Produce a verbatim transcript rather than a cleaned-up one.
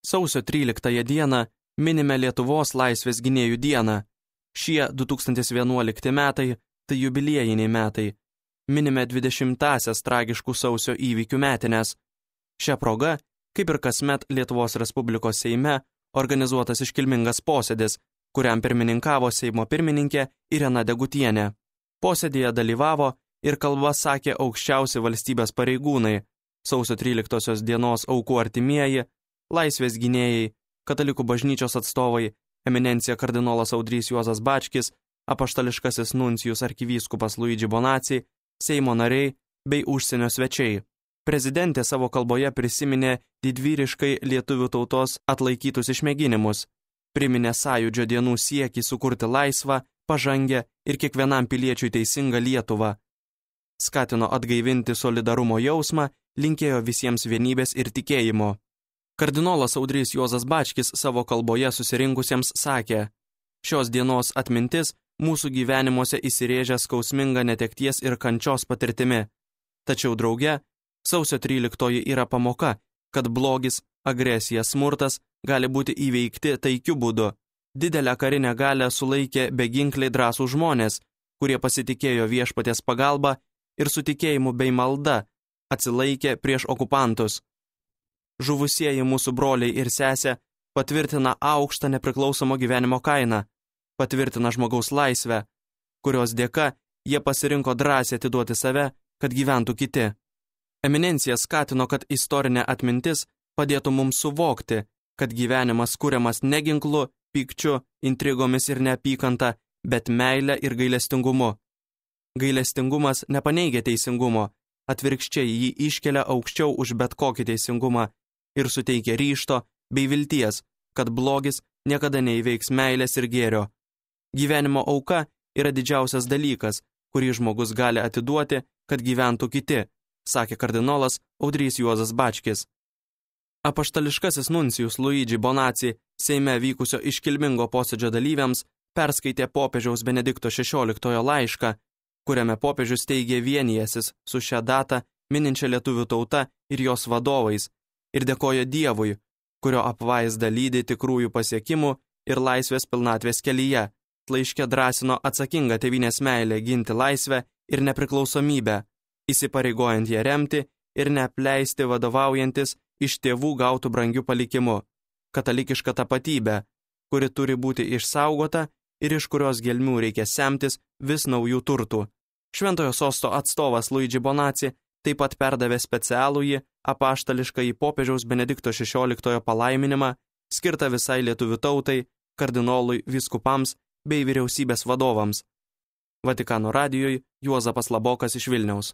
Sausio tryliktąją dieną minime Lietuvos laisvės gynėjų dieną. Šie du tūkstantis vienuolikti metai tai jubiliejiniai metai. Minime dvidešimtąsias tragiškų sausio įvykių metines. Šia proga, kaip ir kasmet Lietuvos Respublikos Seime, organizuotas iškilmingas posėdis, kuriam pirmininkavo Seimo pirmininkė Irena Degutienė. Posėdėje dalyvavo ir kalbą sakė aukščiausi valstybės pareigūnai, sausio tryliktosios dienos aukų artimieji, laisvės gynėjai, katalikų bažnyčios atstovai, eminencija kardinolas Audrys Juozas Bačkis, apaštališkasis nuncijus arkivyskupas Luigi Bonacci, Seimo nariai bei užsienio svečiai. Prezidentė savo kalboje prisiminė didvyriškai lietuvių tautos atlaikytus išmėginimus, priminė sąjūdžio dienų siekį sukurti laisvą, pažangę ir kiekvienam piliečiui teisingą Lietuvą. Skatino atgaivinti solidarumo jausmą, linkėjo visiems vienybės ir tikėjimo. Kardinolas Audrys Juozas Bačkis savo kalboje susirinkusiems sakė: šios dienos atmintis mūsų gyvenimuose įsirėžia skausminga netekties ir kančios patirtimi. Tačiau drauge, sausio tryliktoji yra pamoka, kad blogis, agresija, smurtas gali būti įveikti taikiu būdu. Didelę karinę galią sulaikė beginkliai drąsų žmonės, kurie pasitikėjo viešpaties pagalba ir su tikėjimu bei malda atsilaikė prieš okupantus. Žuvusieji mūsų broliai ir sesė patvirtina aukštą nepriklausomo gyvenimo kainą, patvirtina žmogaus laisvę, kurios dėka jie pasirinko drąsiai atiduoti save, kad gyventų kiti. Eminencija skatino, kad istorinė atmintis padėtų mums suvokti, kad gyvenimas kuriamas ne ginklu, pykčiu, intrigomis ir neapykanta, bet meile ir gailestingumu. Gailestingumas nepaneigia teisingumo, atvirkščiai jį iškelia aukščiau už bet kokį teisingumą ir suteikia ryžto bei vilties, kad blogis niekada neįveiks meilės ir gėrio. Gyvenimo auka yra didžiausias dalykas, kurį žmogus gali atiduoti, kad gyventų kiti, sakė kardinolas Audrys Juozas Bačkis. Apaštališkasis nuncijus Luigi Bonacci Seime vykusio iškilmingo posėdžio dalyviams perskaitė popiežiaus Benedikto šešioliktojo laišką, kuriame popiežius teigė vienijęsis su šią datą mininčia lietuvių tauta ir jos vadovais ir dėkojo Dievui, kurio apvaizda lydi tikrųjų pasiekimų ir laisvės pilnatvės kelyje. Laiške drąsino atsakingą tėvynės meilę ginti laisvę ir nepriklausomybę, įsipareigojant ją remti ir neapleisti vadovaujantis iš tėvų gautų brangių palikimų, katalikišką tapatybę, kuri turi būti išsaugota ir iš kurios gelmių reikia semtis vis naujų turtų. Šventojo sosto atstovas Luigi Bonacci taip pat perdavė specialųjį apaštališkąjį popiežiaus Benedikto šešioliktojo palaiminimą, skirtą visai lietuvių tautai, kardinolui, vyskupams bei vyriausybės vadovams. Vatikano radijui Juozapas Labokas iš Vilniaus.